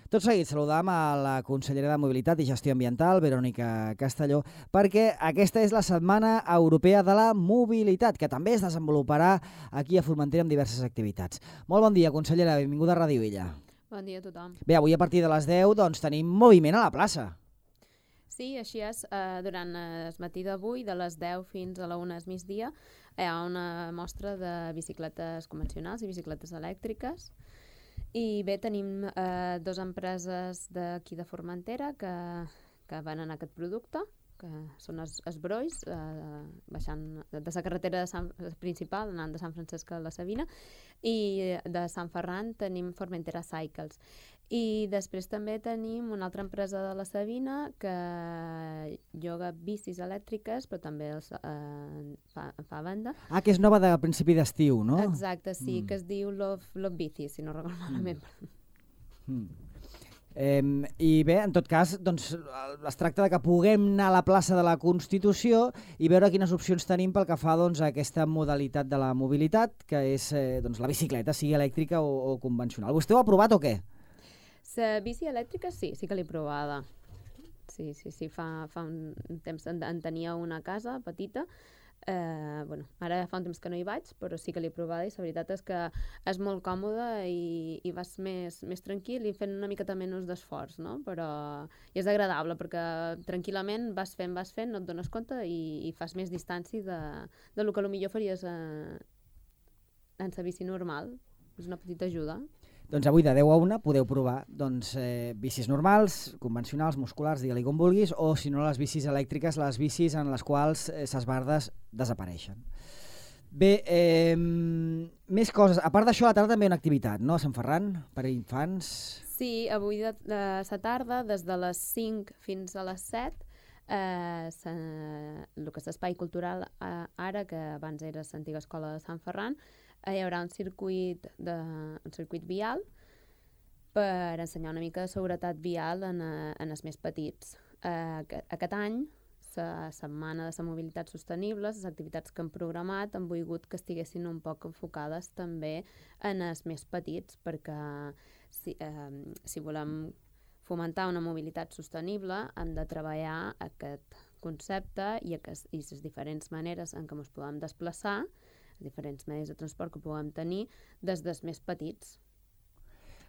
Tot seguit saludam a la consellera de Mobilitat i Gestió Ambiental, Verònica Castelló, perquè aquesta és la Setmana Europea de la Mobilitat, que també es desenvoluparà aquí a Formentera amb diverses activitats. Molt bon dia, consellera, benvinguda a Ràdio Illa. Bon dia a tothom. Bé, avui a partir de les 10 doncs, tenim moviment a la plaça. Sí, així és. Durant el matí d'avui, de les 10 fins a la 1 del migdia, hi ha una mostra de bicicletes convencionals i bicicletes elèctriques. I bé, tenim dues empreses d'aquí de Formentera que venen aquest producte, que són els Brois, baixant de la carretera principal, anant de Sant Francesc a la Sabina, i de Sant Ferran tenim Formentera Cycles. I després també tenim una altra empresa de la Sabina que lloga bicis elèctriques, però també fa venda. Que és nova de principi d'estiu, no? Exacte, sí, que es diu Love Bici, si no recordo malament. I bé, en tot cas, doncs, es tracta de que puguem anar a la plaça de la Constitució i veure quines opcions tenim pel que fa doncs, a aquesta modalitat de la mobilitat, que és doncs, la bicicleta, sigui elèctrica o convencional. Vostè ho ha provat o què? La bici elèctrica sí que l'he provada. Sí, fa un temps en tenia una casa petita. Ara fa un temps que no hi vaig, però sí que l'he provada i la veritat és que és molt còmode i vas més tranquil i fent una miqueta menys d'esforç, no? Però és agradable perquè tranquil·lament vas fent, no et dones compte i fas més distància de lo que potser faries en la bici normal. És una petita ajuda. Doncs avui de 10 a 1 podeu provar bicis normals, convencionals, musculars, digue-li com vulguis, o si no les bicis elèctriques, les bicis en les quals ses bardes desapareixen. Bé, més coses. A part d'això, a la tarda també hi ha una activitat, no? A Sant Ferran, per a infants. Sí, avui a la tarda, des de les 5 fins a les 7, el que és l'espai cultural ara, que abans era l'antiga escola de Sant Ferran, hi haurà un circuit vial per ensenyar una mica de seguretat vial en els més petits. Aquest any, la Setmana de la Mobilitat Sostenible, les activitats que hem programat han volgut que estiguessin un poc enfocades també en els més petits, perquè si volem fomentar una mobilitat sostenible hem de treballar aquest concepte i les diferents maneres en què ens podem desplaçar, diferents medis de transport que puguem tenir des dels més petits.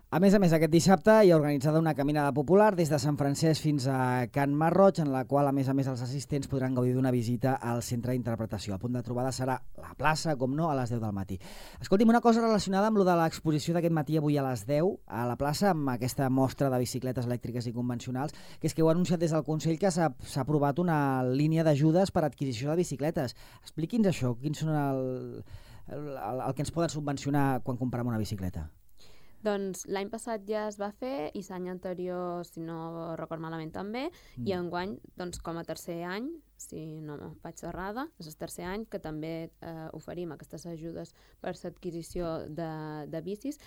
A més, aquest dissabte hi ha organitzada una caminada popular des de Sant Francesc fins a Can Marroig, en la qual, a més, els assistents podran gaudir d'una visita al centre d'interpretació. El punt de trobada serà la plaça, com no, a les 10 del matí. Escolti'm, una cosa relacionada amb lo de l'exposició d'aquest matí avui a les 10 a la plaça, amb aquesta mostra de bicicletes elèctriques i convencionals, que és que heu anunciat des del Consell que s'ha aprovat una línia d'ajudes per a adquisició de bicicletes. Expliqui'ns això, quins són el que ens poden subvencionar quan comprem una bicicleta? Doncs l'any passat ja es va fer i l'any anterior, si no record malament també, i enguany, doncs, com a tercer any, si no vaig errada, és el tercer any que també oferim aquestes ajudes per l'adquisició de bicis.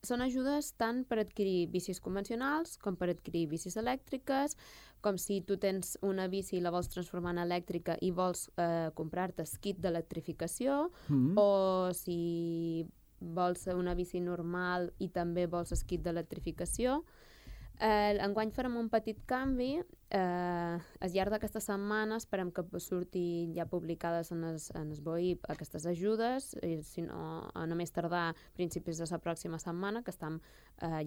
Són ajudes tant per adquirir bicis convencionals com per adquirir bicis elèctriques, com si tu tens una bici i la vols transformar en elèctrica i vols comprar-te el kit d'electrificació, o si vols una bici normal i també vols el kit d'electrificació. Enguany farem un petit canvi. Al llarg d'aquesta setmana esperem que surti ja publicades en el BOIP aquestes ajudes, si no, no més tardar principis de la pròxima setmana, que estem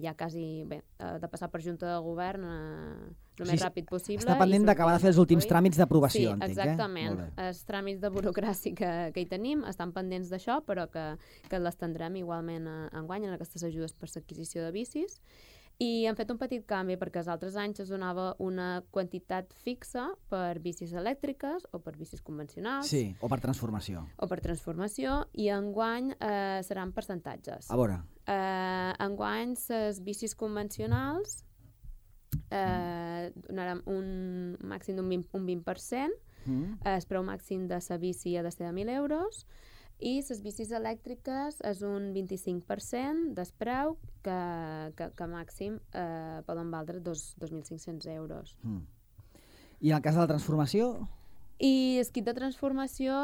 ja quasi de passar per Junta de Govern el més ràpid possible. Està pendent d'acabar de fer els últims tràmits d'aprovació, entenc. Sí, exactament. Els tràmits de burocràcia que hi tenim estan pendents d'això, però que les tindrem igualment enguany en aquestes ajudes per l'adquisició de bicis. I hem fet un petit canvi perquè els altres anys es donava una quantitat fixa per bicis elèctriques o per bicis convencionals. Sí, o per transformació. I enguany seran percentatges. A veure. Enguany les bicis convencionals donarem un màxim d'un 20%, el preu màxim de la bici ha de ser de 1.000 euros, i les bicis elèctriques és un 25% del preu que màxim poden valdre 2.500 euros. I en el cas de la transformació? I el kit de transformació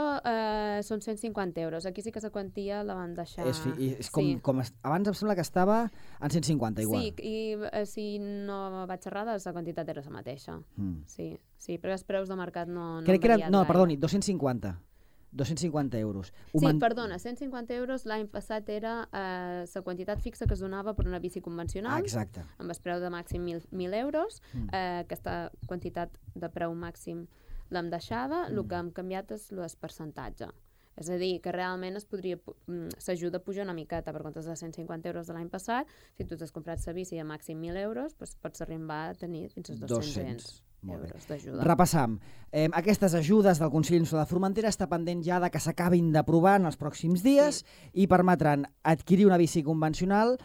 són 150 euros. Aquí sí que la quantia la van deixar... És com abans em sembla que estava en 150, igual. Sí, i si no vaig errada, la quantitat era la mateixa. Sí, perquè els preus de mercat no han variat gaire. No, perdoni, 250 euros. Perdona, 150 euros l'any passat era la quantitat fixa que es donava per una bici convencional. Exacte. Amb el preu de màxim 1.000 euros. Aquesta quantitat de preu màxim l'hem deixada, el que hem canviat és el percentatge. És a dir, que realment s'ajuda a pujar una miqueta per comptes de 150 euros de l'any passat. Si tu t'has comprat la bici a màxim 1.000 euros, doncs pots arribar a tenir fins als 200 euros d'ajuda. Repassam. Aquestes ajudes del Consell Insular de Formentera està pendent ja de que s'acabin d'aprovar en els pròxims dies i permetran adquirir una bici convencional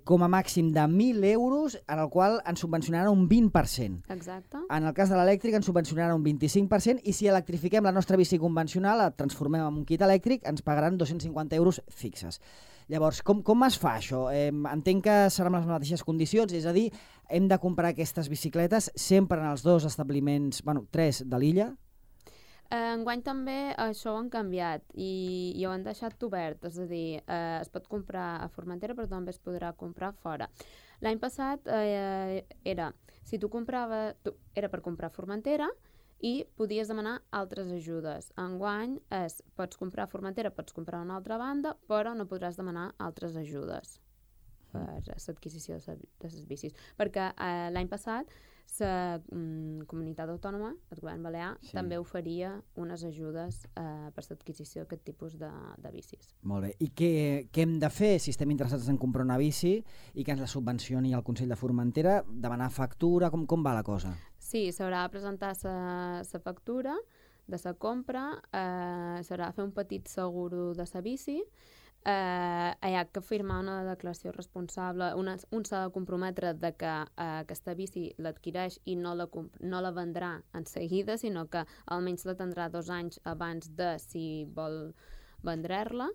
com a màxim de 1.000 euros, en el qual ens subvencionaran un 20%. Exacte. En el cas de l'elèctric ens subvencionaran un 25% i si electrifiquem la nostra bici convencional, la transformem en un kit elèctric, ens pagaran 250 euros fixes. Llavors, com es fa això? Entenc que seran les mateixes condicions, és a dir, hem de comprar aquestes bicicletes sempre en els 2 establiments, 3 de l'illa? Enguany també això ho han canviat i ho han deixat obert, és a dir, es pot comprar a Formentera però també es podrà comprar fora. L'any passat era per comprar a Formentera i podies demanar altres ajudes. Enguany pots comprar a Formentera, pots comprar a una altra banda, però no podràs demanar altres ajudes per l'adquisició de les bicis. Perquè l'any passat la comunitat autònoma, el govern balear, també oferia unes ajudes per l'adquisició d'aquest tipus de bicis. Molt bé. I què hem de fer si estem interessats en comprar una bici i que ens la subvencioni el Consell de Formentera? Demanar factura? Com va la cosa? Sí, s'haurà de presentar la factura de la compra, s'haurà de fer un petit seguro de la bici, hi ha que firmar una declaració responsable, un s'ha de comprometre de que aquesta bici l'adquireix i no la vendrà en seguida, sinó que almenys la tindrà 2 anys abans de si vol vendre-la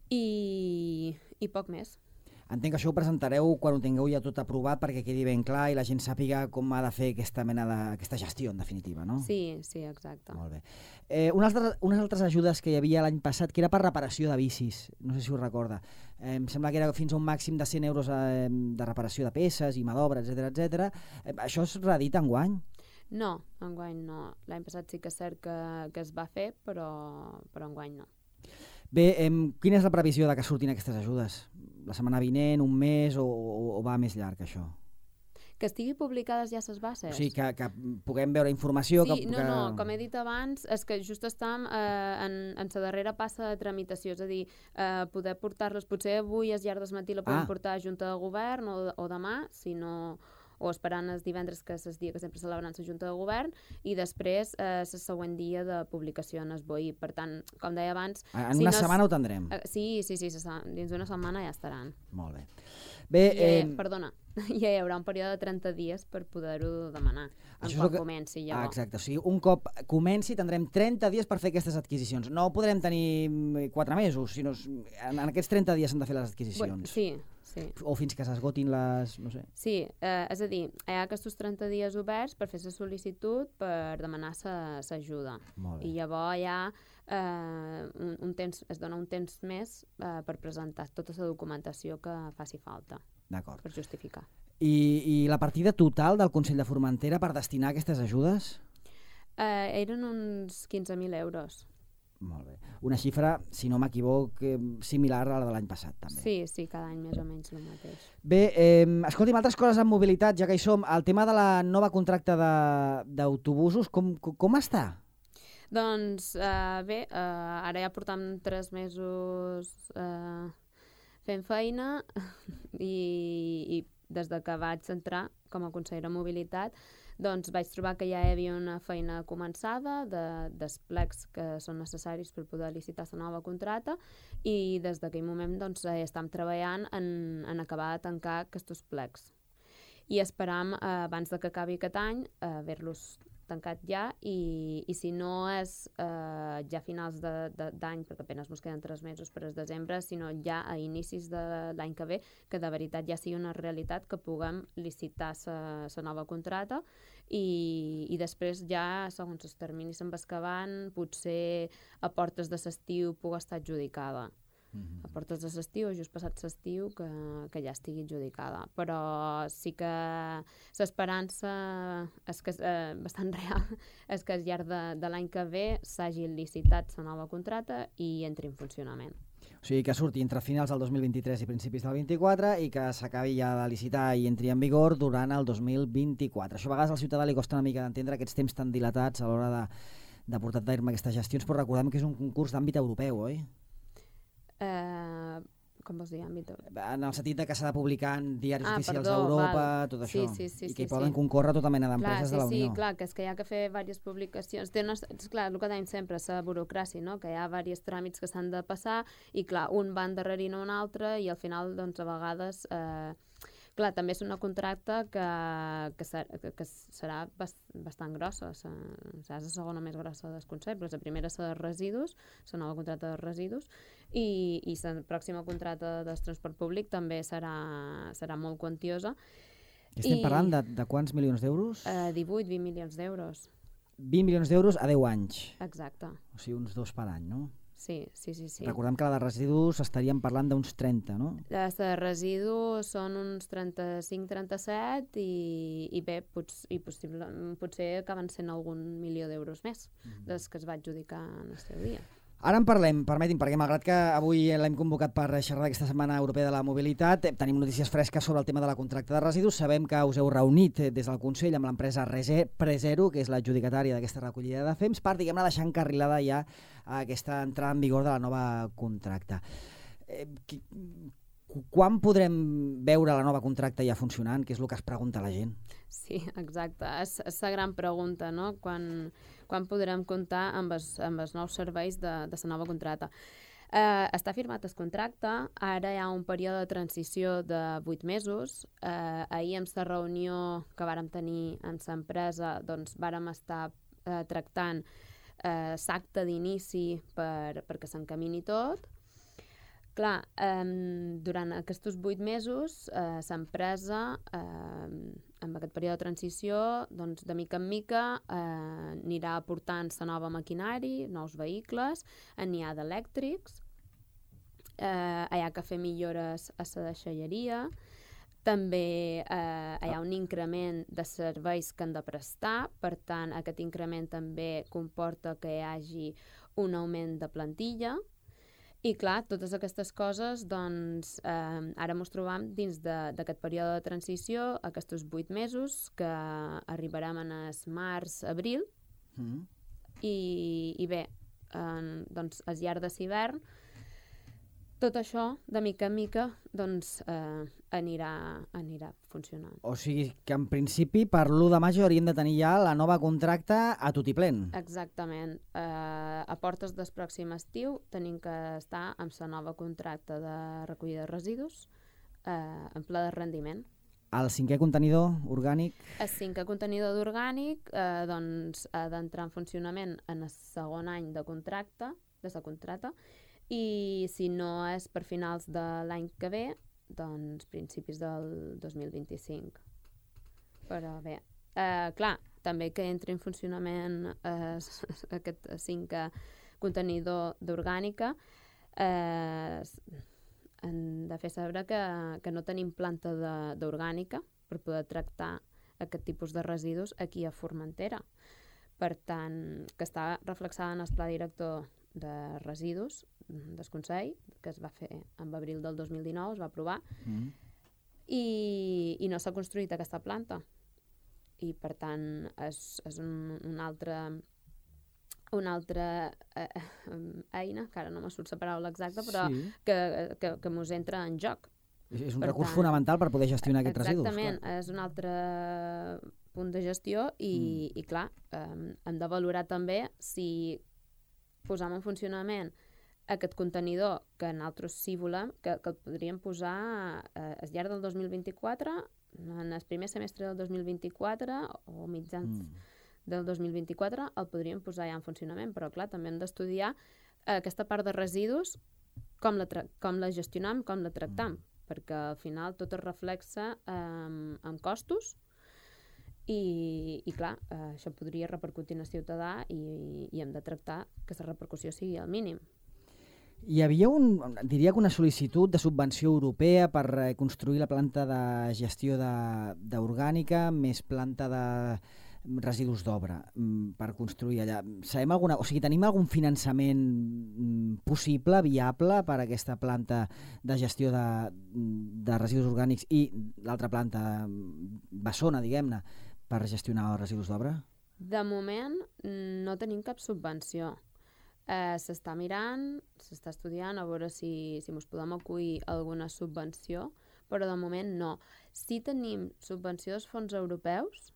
i poc més. Entenc que això ho presentareu quan ho tingueu ja tot aprovat perquè quedi ben clar i la gent sàpiga com ha de fer aquesta gestió, en definitiva, no? Sí, exacte. Molt bé. Unes altres ajudes que hi havia l'any passat, que era per reparació de bicis, no sé si ho recorda. Em sembla que era fins a un màxim de 100 euros de reparació de peces i mà d'obra, etc. Això es redita enguany? No, enguany no. L'any passat sí que és cert que es va fer, però enguany no. Bé, quina és la previsió de que surtin aquestes ajudes? La setmana vinent, un mes o va més llarg, això? Que estigui publicades ja les bases? O sigui, que puguem veure informació... Sí, no, com he dit abans, és que just estem en la darrera passa de tramitació, és a dir, poder portar-les, potser avui al llarg del matí la podem portar a Junta de Govern o demà, si no... o esperant el divendres, que és el dia que sempre celebren la Junta de Govern, i després el següent dia de publicació en el BOI. Per tant, com deia abans... En una setmana ho tendrem? Sí, dins d'una setmana ja estaran. Molt bé. Perdona, ja hi haurà un període de 30 dies per poder-ho demanar, quan comenci llavors. Exacte, o sigui, un cop comenci tindrem 30 dies per fer aquestes adquisicions. No podrem tenir 4 mesos, sinó en aquests 30 dies s'han de fer les adquisicions. Sí. O fins que s'esgotin les... no sé. Sí, és a dir, hi ha aquests 30 dies oberts per fer la sol·licitud per demanar l'ajuda. I llavors hi ha es dona un temps més per presentar tota la documentació que faci falta. D'acord. Per justificar. I la partida total del Consell de Formentera per destinar aquestes ajudes? Eren uns 15.000 euros. Molt bé. Una xifra, si no m'equivoc, similar a la de l'any passat, també. Sí, cada any més o menys el mateix. Bé, escolti'm, altres coses en mobilitat, ja que hi som. El tema de la nova contracte d'autobusos, com està? Doncs bé, ara ja portam 3 mesos fent feina i des que vaig entrar com a consellera de mobilitat doncs vaig trobar que ja hi havia una feina començada dels plecs que són necessaris per poder licitar la nova contracta i des d'aquell moment doncs, estem treballant en acabar de tancar aquests plecs i esperam abans que acabi aquest any haver-los tancat ja, i si no és ja a finals d'any, perquè apenas ens queden 3 mesos per al desembre, sinó ja a inicis de l'any que ve, que de veritat ja sigui una realitat que puguem licitar la nova contrata i després ja, segons els terminis se'n vas acabant, potser a portes de l'estiu pugui estar adjudicada. A portes de l'estiu, just passat l'estiu, que ja estigui adjudicada. Però sí que l'esperança és que és bastant real, és que al llarg de l'any que ve s'hagi licitat la nova contrata i entri en funcionament. O sigui, que surti entre finals del 2023 i principis del 24 i que s'acabi ja de licitar i entri en vigor durant el 2024. Això a vegades al ciutadà li costa una mica d'entendre aquests temps tan dilatats a l'hora de portar a terme aquestes gestions, però recordem que és un concurs d'àmbit europeu, oi? Com vols dir, àmbit europeu? En el sentit que s'ha de publicar en diaris oficials d'Europa, tot això. Sí, I que hi poden concórrer tota mena d'empreses de la Unió. Sí, clar, que és que hi ha que fer diverses publicacions. És clar, el que dèiem sempre, la burocràcia, no? Que hi ha diversos tràmits que s'han de passar i, clar, un va endarrerint un altre i al final, doncs, a vegades... Clar, també és una contracta que serà bastant grossa. Serà la segona més grossa dels conceptes. La primera és la de residus, la nova contracta de residus, i la pròxima contracta del transport públic també serà molt quantiosa. Estem parlant de quants milions d'euros? 18-20 milions d'euros. 20 milions d'euros a 10 anys. Exacte. O sigui, uns 2 per any, no? Sí. Recordem que la de residus estaríem parlant d'uns 30, no? Les de residus són uns 35-37 i bé, potser acaben sent algun milió d'euros més dels que es va adjudicar en el seu dia. Ara en parlem, permeti'm, perquè malgrat que avui l'hem convocat per xerrar d'aquesta Setmana Europea de la Mobilitat, tenim notícies fresques sobre el tema de la contracta de residus. Sabem que us heu reunit des del Consell amb l'empresa Presero, que és l'adjudicatària d'aquesta recollida de fems, per, diguem-ne, deixar encarrilada ja aquesta entrada en vigor de la nova contracta. Quan podrem veure la nova contracta ja funcionant, que és el que es pregunta la gent? Sí, exacte. És la gran pregunta, no? Quan podrem comptar amb els nous serveis de la nova contracta. Està firmat el contracte, ara hi ha un període de transició de 8 mesos. Ahir, en la reunió que vàrem tenir amb l'empresa, doncs vàrem estar tractant l'acte d'inici perquè s'encamini tot. Clar, durant aquests 8 mesos, l'empresa, amb aquest període de transició, doncs, de mica en mica anirà aportant la nova maquinari, nous vehicles, n'hi ha d'elèctrics, hi ha que fer millores a la deixalleria, també hi ha un increment de serveis que han de prestar, per tant, aquest increment també comporta que hi hagi un augment de plantilla. I clar, totes aquestes coses, doncs, ara ens trobam dins d'aquest període de transició, aquests 8 mesos, que arribarem en el març-abril, i bé, doncs, al llarg de l'hivern, tot això, de mica en mica, doncs, anirà funcionant. O sigui que, en principi, per l'1 de maig hauríem de tenir ja la nova contracta a tutiplén. Exactament. A portes del pròxim estiu tenim que estar amb la nova contracta de recollida de residus en ple de rendiment. El 5è contenidor orgànic? El 5è contenidor d'orgànic doncs, ha d'entrar en funcionament en el segon any de contracte, i si no és per finals de l'any que ve, doncs principis del 2025. Però bé, clar, també que entri en funcionament aquest 5è contenidor d'orgànica, hem de fer saber que no tenim planta d'orgànica per poder tractar aquest tipus de residus aquí a Formentera. Per tant, que està reflexada en el pla director de residus del Consell, que es va fer en abril del 2019, es va aprovar, i no s'ha construït aquesta planta. I, per tant, és una altra eina, que ara no me surt la paraula exacta, però sí, que mos entra en joc. És un recurs fonamental per poder gestionar aquests residus. Exactament, és un altre punt de gestió i clar, hem de valorar també si posam en funcionament aquest contenidor, que nosaltres sí volem, que el podríem posar al llarg del 2024, en el primer semestre del 2024 o mitjans del 2024 el podríem posar ja en funcionament, però clar, també hem d'estudiar aquesta part de residus, com la gestionam, com la tractam, perquè al final tot es reflexa en costos i clar, això podria repercutir en el ciutadà i hem de tractar que la repercussió sigui al mínim. Hi havia diria que una sol·licitud de subvenció europea per construir la planta de gestió d'orgànica més planta de residus d'obra per construir allà. Tenim algun finançament possible, viable per a aquesta planta de gestió de residus orgànics i l'altra planta bessona, diguem-ne, per gestionar els residus d'obra? De moment no tenim cap subvenció. S'està mirant, s'està estudiant a veure si ens podem acollir alguna subvenció, però de moment no. Sí tenim subvenció dels fons europeus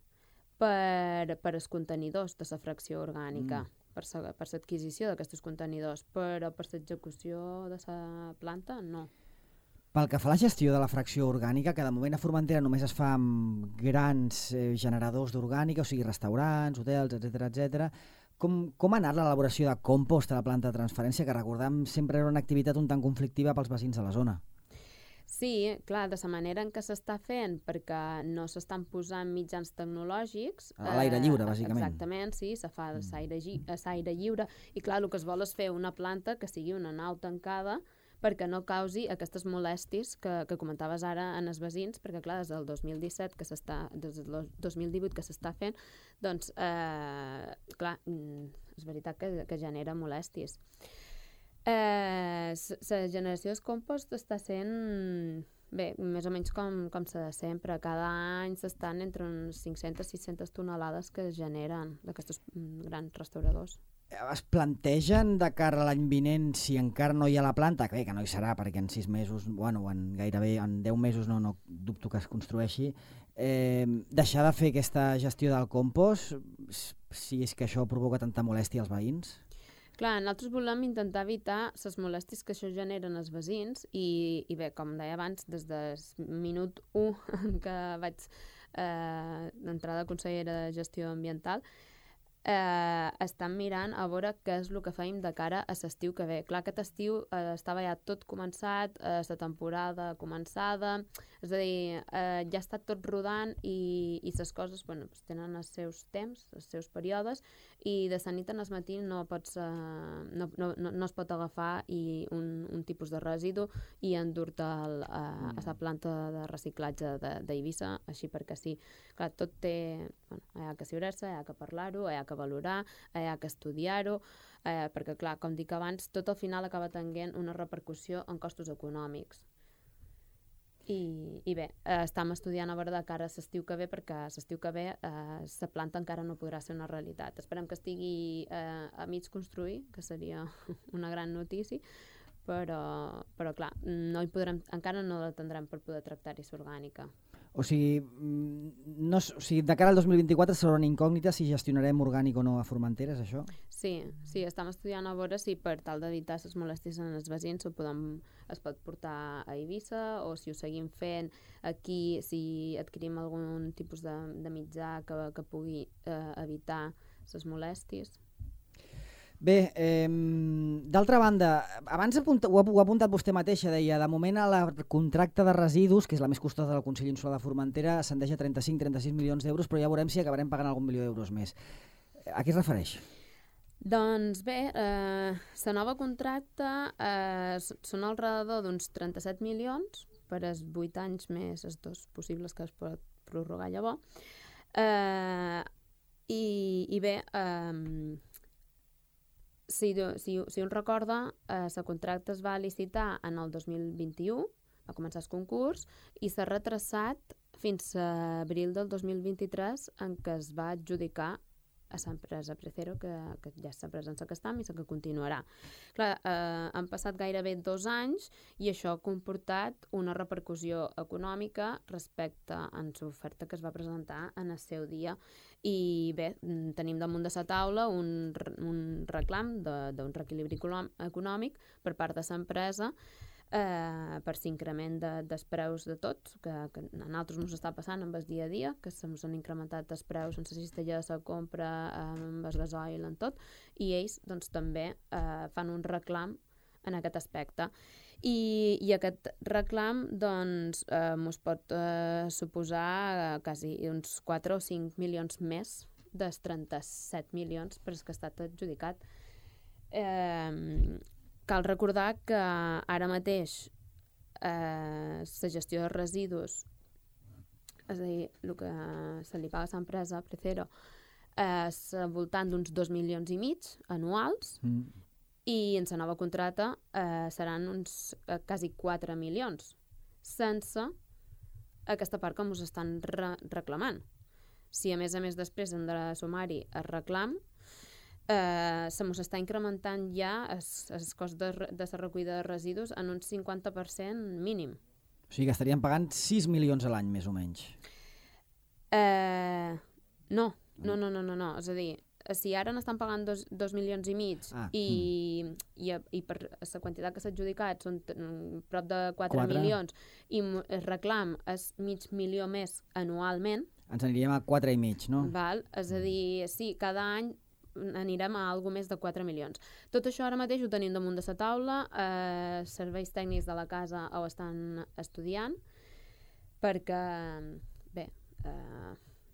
per als contenidors de la fracció orgànica, per l'adquisició d'aquests contenidors, però per l'execució de la planta no. Pel que fa a la gestió de la fracció orgànica, que de moment a Formentera només es fa amb grans generadors d'orgànica, o sigui restaurants, hotels, etc. Com ha anat l'elaboració de compost a la planta de transferència, que recordem sempre era una activitat un tant conflictiva pels veïns de la zona? Sí, clar, de la manera en què s'està fent, perquè no s'estan posant mitjans tecnològics... A l'aire lliure, bàsicament. Exactament, sí, se fa a l'aire lliure, i clar, el que es vol és fer una planta que sigui una nau tancada perquè no causi aquestes molèsties que comentaves ara en els veïns, perquè clar, des del 2017 des del 2018 que s'està fent, doncs, clar, és veritat que genera molèsties. La generació de compost està sent, bé, més o menys com s'ha de sempre. Cada any s'estan entre uns 500 i 600 tonelades que es generen d'aquests grans restauradors. Es plantegen de cara a l'any vinent, si encara no hi ha la planta, que no hi serà perquè en 6 mesos, gairebé en 10 mesos no dubto que es construeixi, deixar de fer aquesta gestió del compost, si és que això provoca tanta molèstia als veïns? Clar, nosaltres volem intentar evitar les molèsties que això generen als veïns i bé, com deia abans, des del minut 1 que vaig entrar de consellera de gestió ambiental, estan mirant a veure què és el que feim de cara a l'estiu que ve. Clar, aquest estiu estava ja tot començat, la temporada començada, és a dir, ja està tot rodant i les coses tenen els seus temps, els seus períodes, i de la nit al matí no es pot agafar un tipus de residu i endur-te a la planta de reciclatge d'Eivissa, així perquè sí. Clar, tot té... hi ha que ciurar-se, hi ha que parlar-ho, hi ha que valorar, hi ha que estudiar-ho, perquè, clar, com dic abans, tot al final acaba tenint una repercussió en costos econòmics. I bé, estem estudiant a veure de cara a l'estiu que ve, perquè l'estiu que ve la planta encara no podrà ser una realitat. Esperem que estigui a mig construir, que seria una gran notícia, però clar, encara no la tindrem per poder tractar-hi l'orgànica. O sigui, de cara al 2024 serà una incògnita si gestionarem orgànic o no a Formentera, és això? Sí, estem estudiant a veure si per tal d'evitar les molèsties en els veïns es pot portar a Eivissa o si ho seguim fent aquí, si adquirim algun tipus de mitjà que pugui evitar les molèsties. Bé, d'altra banda, abans ho ha apuntat vostè mateixa, deia, de moment el contracte de residus, que és la més costosa del Consell Insular de Formentera, ascendeix a 35-36 milions d'euros, però ja veurem si acabarem pagant algun milió d'euros més. A què es refereix? Doncs bé, la nova contracte són al redador d'uns 37 milions per als 8 anys més els 2 possibles que es pot prorrogar llavors. I bé, si un recorda, la contracte es va licitar en el 2021, va començar el concurs, i s'ha retrasat fins a abril del 2023 en què es va adjudicar a l'empresa Precero, que ja és l'empresa en la que estem i la que continuarà. Clar, han passat gairebé 2 anys i això ha comportat una repercussió econòmica respecte a l'oferta que es va presentar en el seu dia. I bé, tenim damunt de la taula un reclam d'un reequilibri econòmic per part de l'empresa per l'increment dels preus de tots, que a nosaltres ens està passant amb el dia a dia, que se'ns han incrementat els preus en la cistella, la compra, amb el gasoil, en tot, i ells doncs, també fan un reclam en aquest aspecte. I aquest reclam doncs, ens pot suposar quasi uns 4 o 5 milions més dels 37 milions per als que ha estat adjudicat. Cal recordar que ara mateix la gestió de residus, és a dir, el que se li paga a l'empresa Precero, és al voltant d'uns 2,5 milions anuals, i en la nova contracta seran uns quasi 4 milions, sense aquesta part que ens estan reclamant. Si a més després hem de sumar-hi el reclam, se mos està incrementant ja el cost de la recollida de residus en un 50% mínim. O sigui que estaríem pagant 6 milions a l'any, més o menys. No. És a dir, si ara n'estan pagant 2,5 milions i per la quantitat que s'ha adjudicat són prop de 4 milions i el reclam és mig milió més anualment, ens aniríem a 4,5, no? Val? És a dir, sí, cada any anirem a alguna més de 4 milions. Tot això ara mateix ho tenim damunt de la taula, serveis tècnics de la casa ho estan estudiant, perquè, bé,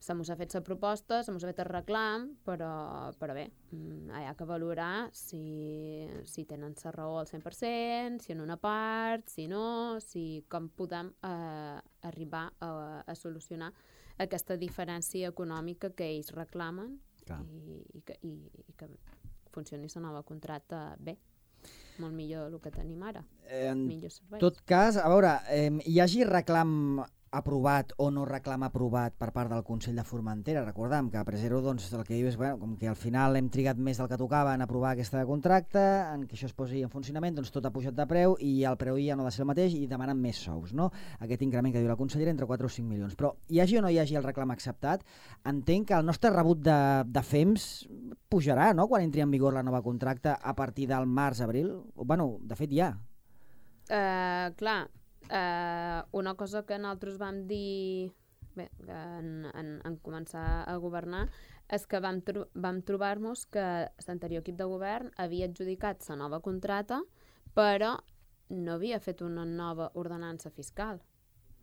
se mos ha fet la proposta, se mos ha fet el reclam, però bé, hi ha que valorar si tenen la raó al 100%, si en una part, si no, com podem arribar a solucionar aquesta diferència econòmica que ells reclamen i que funcioni la nova contracta bé. Molt millor el que tenim ara. En tot cas, a veure, hi hagi reclam aprovat o no reclam aprovat per part del Consell de Formentera. Recordem que a Precero, doncs, el que diu és com que al final hem trigat més del que tocava en aprovar aquesta contracta, en que això es posi en funcionament, doncs tot ha pujat de preu i el preu ja no ha de ser el mateix i demanen més sous, no? Aquest increment que diu la consellera entre 4 o 5 milions. Però hi hagi o no hi hagi el reclam acceptat, entenc que el nostre rebut de FEMS pujarà, no?, quan entri en vigor la nova contracta a partir del març-abril. Bueno, de fet ja. Clar, una cosa que nosaltres vam dir bé, en començar a governar és que vam trobar-nos que l'anterior equip de govern havia adjudicat la nova contracta però no havia fet una nova ordenança fiscal.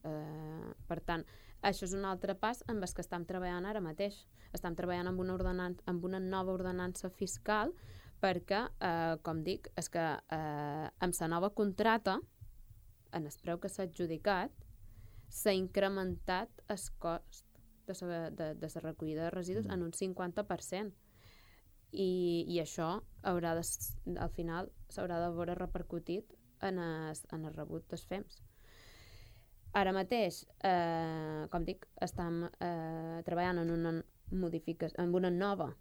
Per tant, això és un altre pas amb el que estem treballant ara mateix. Estem treballant amb una nova ordenança fiscal perquè, com dic, és que amb la nova contracta en el preu que s'ha adjudicat, s'ha incrementat el cost de la recollida de residus en un 50%. I això al final s'haurà de veure repercutit en el rebut dels FEMS. Ara mateix, com dic, estem treballant en una nova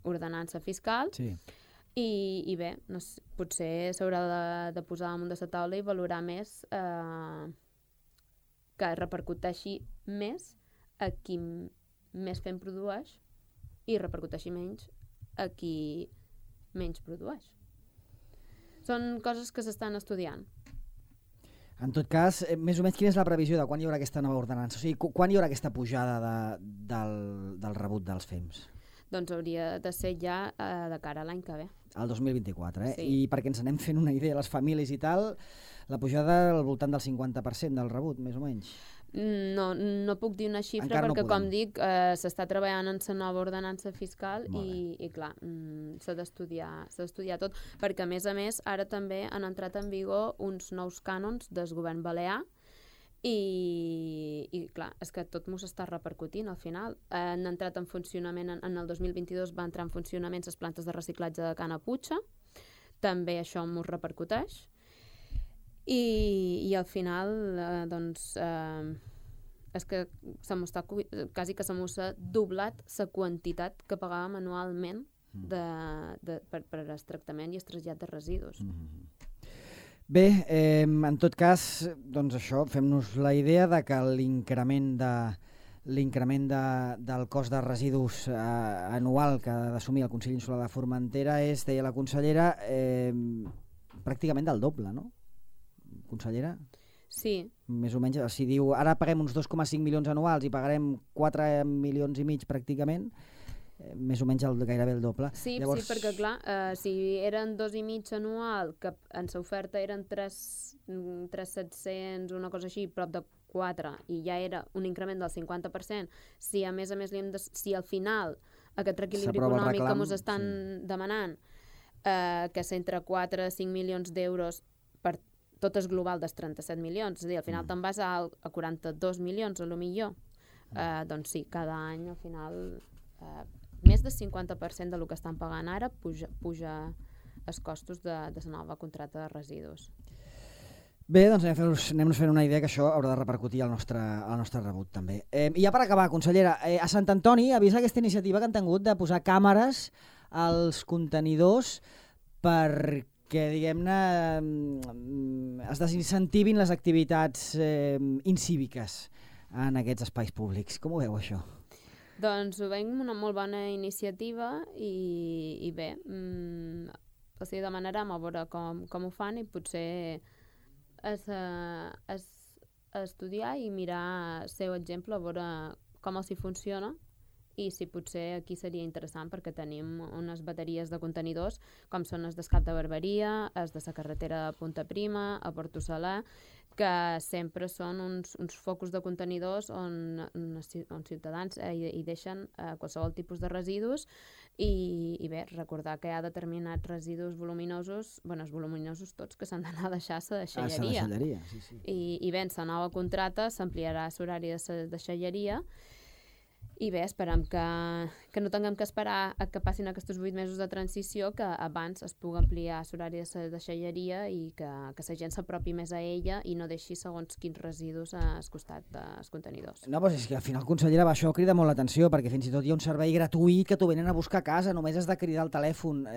ordenança fiscal. Sí. I bé, potser s'haurà de posar damunt de la taula i valorar més que repercuteixi més a qui més fem produeix i repercuteixi menys a qui menys produeix. Són coses que s'estan estudiant. En tot cas, més o menys quina és la previsió de quan hi haurà aquesta nova ordenança? O sigui, quan hi haurà aquesta pujada del rebut dels FEMS? Doncs hauria de ser ja de cara a l'any que ve. El 2024, Sí. I perquè ens anem fent una idea, les famílies i tal, la pujada al voltant del 50% del rebut, més o menys. No puc dir una xifra Encara no perquè, podem. com dic, s'està treballant en la nova ordenança fiscal i clar, s'ha d'estudiar tot, perquè a més ara també han entrat en vigor uns nous cànons del govern balear i clar, és que tot m'ho s'està repercutint al final. Han entrat en funcionament, en el 2022 va entrar en funcionament les plantes de reciclatge de Cana Putxa, també això m'ho repercuteix i al final doncs és que quasi que se m'ho s'ha doblat la quantitat que pagàvem anualment per el tractament i el trasllat de residus. Bé, en tot cas, doncs això, fem-nos la idea de que l'increment del cost de residus anual que ha d'assumir el Consell Insular de Formentera és, deia la consellera, pràcticament del doble, no? consellera? Sí. Més o menys, si diu ara paguem uns 2,5 milions anuals i pagarem 4 milions i mig pràcticament, més o menys gairebé el doble. Sí, Llavors... sí, perquè clar, si eren 2,5 anual, que en l'oferta eren 3.700, una cosa així, prop de 4, i ja era un increment del 50%, si a més si al final aquest reequilibri econòmic que ens estan demanant, que és entre 4 i 5 milions d'euros per tot és global dels 37 milions, és a dir, al final te'n vas a 42 milions, a lo millor. Doncs sí, cada any al final més del 50% del que estan pagant ara puja els costos de la nova contracta de residus. Bé, doncs anem-nos fent una idea que això haurà de repercutir al nostre rebut també. I ja per acabar, consellera, a Sant Antoni avisa aquesta iniciativa que han tingut de posar càmeres als contenidors perquè, diguem-ne, es desincentivin les activitats incíviques en aquests espais públics. Com ho veu, això? Doncs ho veiem una molt bona iniciativa i bé, els demanarem a veure com ho fan i potser estudiar i mirar el seu exemple, a veure com els hi funciona i si potser aquí seria interessant perquè tenim unes bateries de contenidors com són els d'Escap de Barberia, els de la carretera de Punta Prima, a Porto Saler, que sempre són uns focus de contenidors on ciutadans hi deixen qualsevol tipus de residus i bé, recordar que hi ha determinats residus voluminosos, els voluminosos tots, que s'han d'anar a deixar a la deixalleria. Sí. I bé, en la nova contracta s'ampliarà l'horari de la deixalleria i bé, esperem que no tinguem que esperar a que passin aquests 8 mesos de transició, que abans es pugui ampliar l'horari de la deixalleria i que la gent s'apropi més a ella i no deixi segons quins residus al costat dels contenidors. No, però és que al final, consellera, això crida molt l'atenció, perquè fins i tot hi ha un servei gratuït que t'ho venen a buscar a casa, només has de cridar al telèfon.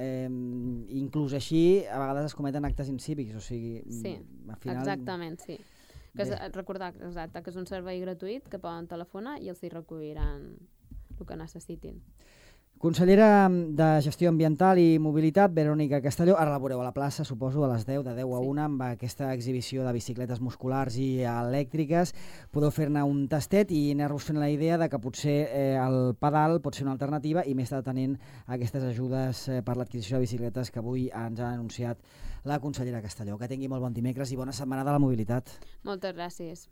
Inclús així, a vegades es cometen actes incívics, o sigui... Sí, al final... exactament, sí. Recordar que és un servei gratuït que poden telefonar i els hi recolliran el que necessitin. Consellera de Gestió Ambiental i Mobilitat, Verònica Castelló, ara la veureu a la plaça, suposo, a les 10, de 10 a 1, amb aquesta exhibició de bicicletes musculars i elèctriques. Podeu fer-ne un tastet i anar-vos fent la idea de que potser el pedal pot ser una alternativa i més atenent a aquestes ajudes per l'adquisició de bicicletes que avui ens ha anunciat la consellera Castelló. Que tingui molt bon dimecres i bona setmana de la mobilitat. Moltes gràcies.